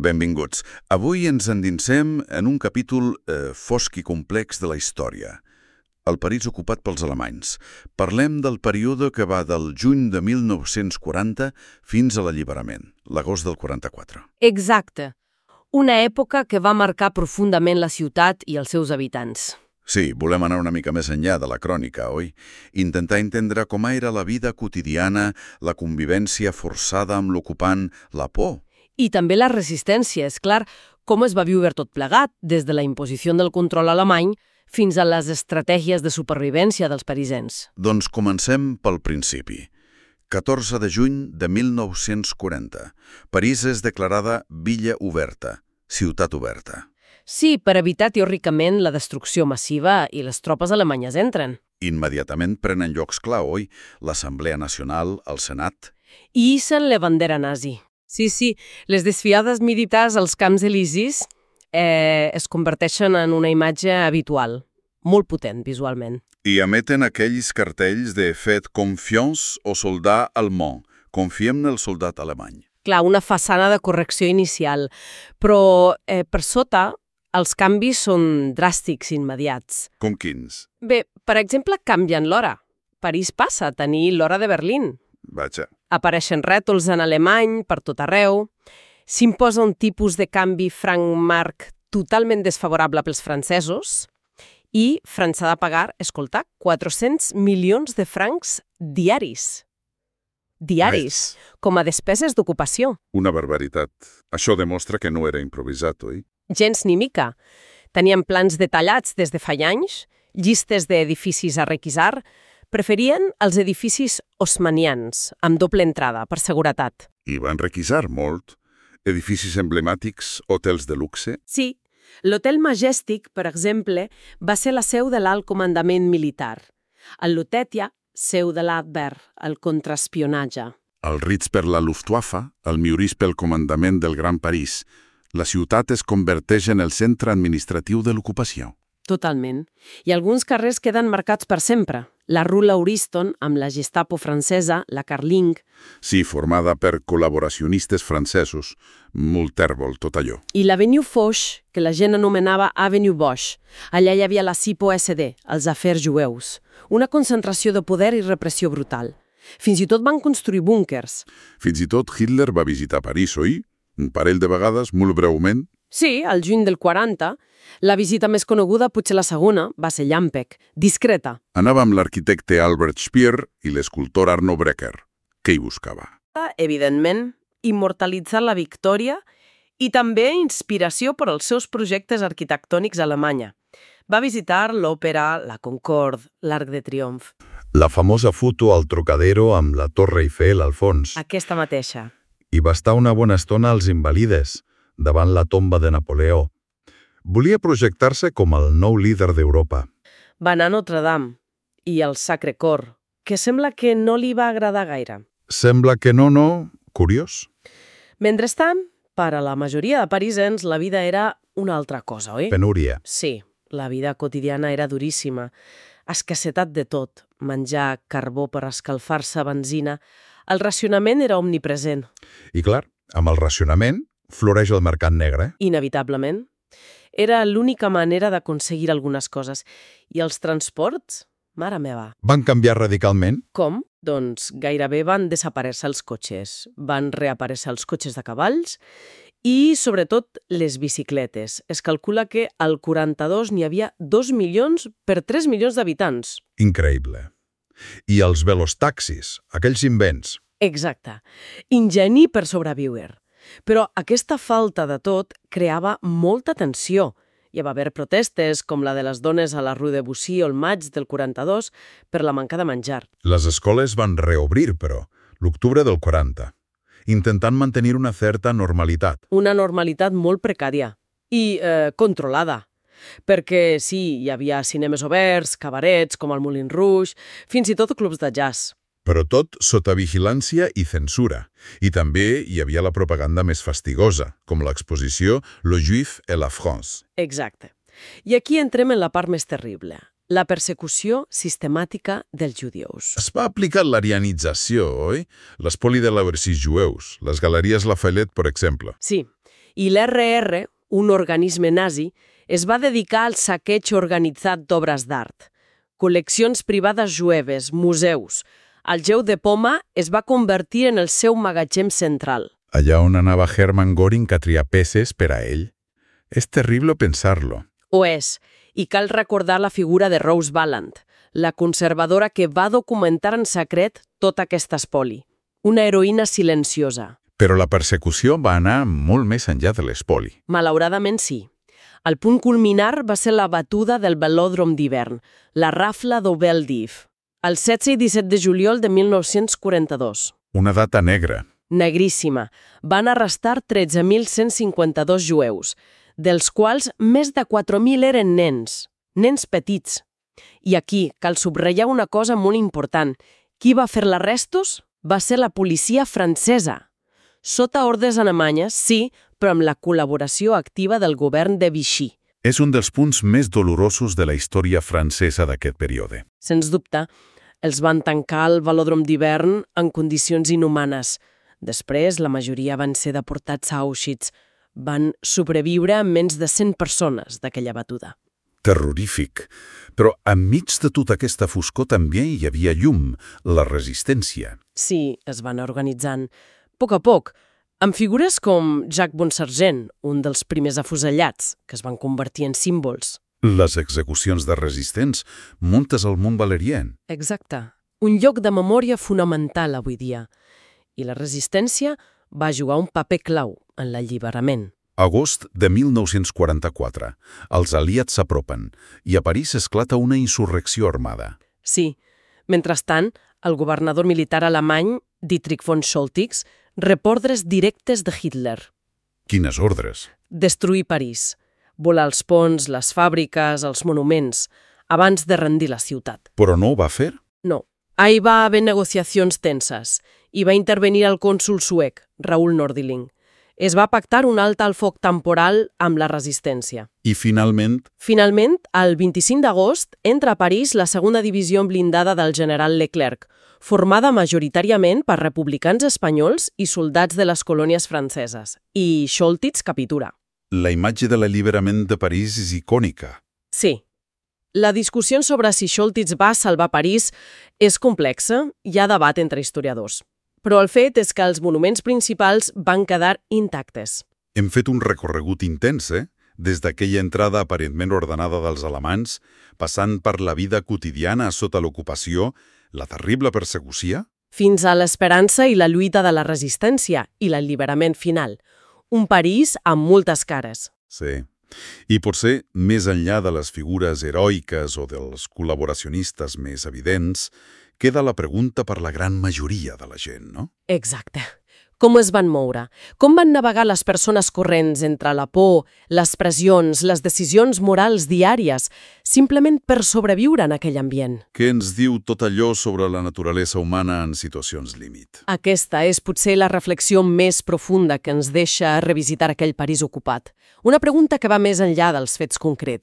Benvinguts. Avui ens endinsem en un capítol fosc i complex de la història. El París ocupat pels alemanys. Parlem del període que va del juny de 1940 fins a l'alliberament, l'agost del 44. Exacte. Una època que va marcar profundament la ciutat i els seus habitants. Sí, volem anar una mica més enllà de la crònica, oi? Intentar entendre com era la vida quotidiana, la convivència forçada amb l'ocupant, la por. I també la resistència, és clar, com es va viure tot plegat, des de la imposició del control alemany fins a les estratègies de supervivència dels parisens. Doncs comencem pel principi. 14 de juny de 1940. París és declarada Villa Oberta, ciutat oberta. Sí, per evitar teòricament la destrucció massiva i les tropes alemanyes entren. Immediatament prenen llocs clau, oi? L'Assemblea Nacional, el Senat. I hissen la bandera nazi. Sí, les desfiades militars als Camps Elisis es converteixen en una imatge habitual, molt potent visualment. I emeten aquells cartells de «Faites confiance au soldat allemand», confiem en el soldat alemany. Clar, una façana de correcció inicial, però per sota els canvis són dràstics immediats. Com quins? Bé, per exemple, canvien l'hora. París passa a tenir l'hora de Berlín. Vaja. Apareixen rètols en alemany per tot arreu. S'imposa un tipus de canvi franc-marc totalment desfavorable pels francesos i França ha de pagar, escolta, 400 milions de francs diaris. Diaris, com a despeses d'ocupació. Una barbaritat. Això demostra que no era improvisat, oi? Gens ni mica. Tenien plans detallats des de fa anys, llistes d'edificis a requisar. Preferien els edificis haussmannians, amb doble entrada, per seguretat. I van requisar molt. Edificis emblemàtics, hotels de luxe. Sí. L'Hotel Majestic, per exemple, va ser la seu de l'alt comandament militar. El Lutetia, seu de l'Abwehr, el contraespionatge. El Ritz per la Luftwaffe, el Meurice pel comandament del Gran París. La ciutat es converteix en el centre administratiu de l'ocupació. Totalment. I alguns carrers queden marcats per sempre. La Rue Lauriston, amb la Gestapo francesa, la Carling. Sí, formada per col·laboracionistes francesos. Molt tèrbol, tot allò. I l'Avenue Foch, que la gent anomenava Avenue Bosch. Allà hi havia la SIPO SD, els afers jueus. Una concentració de poder i repressió brutal. Fins i tot van construir búnkers. Fins i tot Hitler va visitar París, oi? Un parell de vegades, molt breument. Sí, al juny del 40. La visita més coneguda, potser la segona, va ser llampec, discreta. Anava amb l'arquitecte Albert Speer i l'escultor Arno Breker. Què hi buscava? Evidentment, immortalitzar la victòria i també inspiració per als seus projectes arquitectònics a Alemanya. Va visitar l'òpera, la Concorde, l'Arc de Triomf. La famosa foto al Trocadero amb la Torre Eiffel al fons. Aquesta mateixa. I va estar una bona estona als Invalides, davant la tomba de Napoleó. Volia projectar-se com el nou líder d'Europa. Va anar a Notre Dame i al Sacre Cor, que sembla que no li va agradar gaire. Sembla que no. Curiós. Mentrestant, per a la majoria de parisens, la vida era una altra cosa, oi? Penúria. Sí, la vida quotidiana era duríssima. Escassetat de tot, menjar, carbó per escalfar-se, benzina. El racionament era omnipresent. I clar, amb el racionament floreix el mercat negre. Inevitablement. Era l'única manera d'aconseguir algunes coses. I els transports? Mare meva. Van canviar radicalment? Com? Doncs gairebé van desaparèixer els cotxes. Van reaparèixer els cotxes de cavalls i, sobretot, les bicicletes. Es calcula que al 42 n'hi havia 2 milions per 3 milions d'habitants. Increïble. I els velostaxis, aquells invents. Exacte. Ingeni per sobreviure. Però aquesta falta de tot creava molta tensió. Hi va haver protestes, com la de les dones a la Rue de Bussy el maig del 42, per la manca de menjar. Les escoles van reobrir, però, l'octubre del 40, intentant mantenir una certa normalitat. Una normalitat molt precària i controlada. Perquè sí, hi havia cinemes oberts, cabarets com el Moulin Rouge, fins i tot clubs de jazz. Però tot sota vigilància i censura. I també hi havia la propaganda més fastigosa, com l'exposició Le Juif et la France. Exacte. I aquí entrem en la part més terrible, la persecució sistemàtica dels judius. Es va aplicar l'arianització, oi? L'espoli de labercis jueus, les galeries Lafayette, per exemple. Sí, I l'RR, un organisme nazi, es va dedicar al saqueig organitzat d'obres d'art. Col·leccions privades jueves, museus. El Geu de Poma es va convertir en el seu magatzem central. Allà on anava Hermann Göring a triar peces per a ell. És terrible pensar-lo. Ho és, i cal recordar la figura de Rose Valland, la conservadora que va documentar en secret tot aquest espoli. Una heroïna silenciosa. Però la persecució va anar molt més enllà de l'espoli. Malauradament sí. El punt culminar va ser la batuda del velòdrom d'hivern, la rafla d'Obel d'If, el 16 i 17 de juliol de 1942. Una data negra. Negríssima. Van arrestar 13.152 jueus, dels quals més de 4.000 eren nens petits. I aquí cal subratllar una cosa molt important. Qui va fer l'arrestos? Va ser la policia francesa. Sota ordres alemanyes, sí, però amb la col·laboració activa del govern de Vichy. És un dels punts més dolorosos de la història francesa d'aquest període. Sens dubte, els van tancar al velòdrom d'hivern en condicions inhumanes. Després, la majoria van ser deportats a Auschwitz. Van sobreviure menys de 100 persones d'aquella batuda. Terrorífic. Però enmig de tota aquesta foscor també hi havia llum, la resistència. Sí, es van organitzant. A poc, amb figures com Jacques Bonsargent, un dels primers afusellats, que es van convertir en símbols. Les execucions de resistents, muntes al Mont Valérien. Exacte. Un lloc de memòria fonamental avui dia. I la resistència va jugar un paper clau en l'alliberament. Agost de 1944. Els aliats s'apropen i a París esclata una insurrecció armada. Sí. Mentrestant, el governador militar alemany, Dietrich von Scholtix, rep ordres directes de Hitler. Quines ordres? Destruir París. Volar els ponts, les fàbriques, els monuments, abans de rendir la ciutat. Però no ho va fer? No. Ahí va haver negociacions tenses i va intervenir el cònsol suec, Raoul Nordling. Es va pactar un alt al foc temporal amb la resistència. I finalment? Finalment, el 25 d'agost, entra a París la segona divisió blindada del general Leclerc, formada majoritàriament per republicans espanyols i soldats de les colònies franceses. I Scholtix captura. La imatge de l'alliberament de París és icònica. Sí. La discussió sobre si Scholtix va salvar París és complexa, hi ha debat entre historiadors. Però el fet és que els monuments principals van quedar intactes. Hem fet un recorregut intens, Des d'aquella entrada aparentment ordenada dels alemanys, passant per la vida quotidiana sota l'ocupació, la terrible persecució, fins a l'esperança i la lluita de la resistència i l'alliberament final. Un París amb moltes cares. Sí. I potser, més enllà de les figures heroiques o dels col·laboracionistes més evidents, queda la pregunta per la gran majoria de la gent, no? Exacte. Com es van moure? Com van navegar les persones corrents entre la por, les pressions, les decisions morals diàries, simplement per sobreviure en aquell ambient? Què ens diu tot allò sobre la naturalesa humana en situacions límit? Aquesta és potser la reflexió més profunda que ens deixa revisitar aquell París ocupat. Una pregunta que va més enllà dels fets concrets.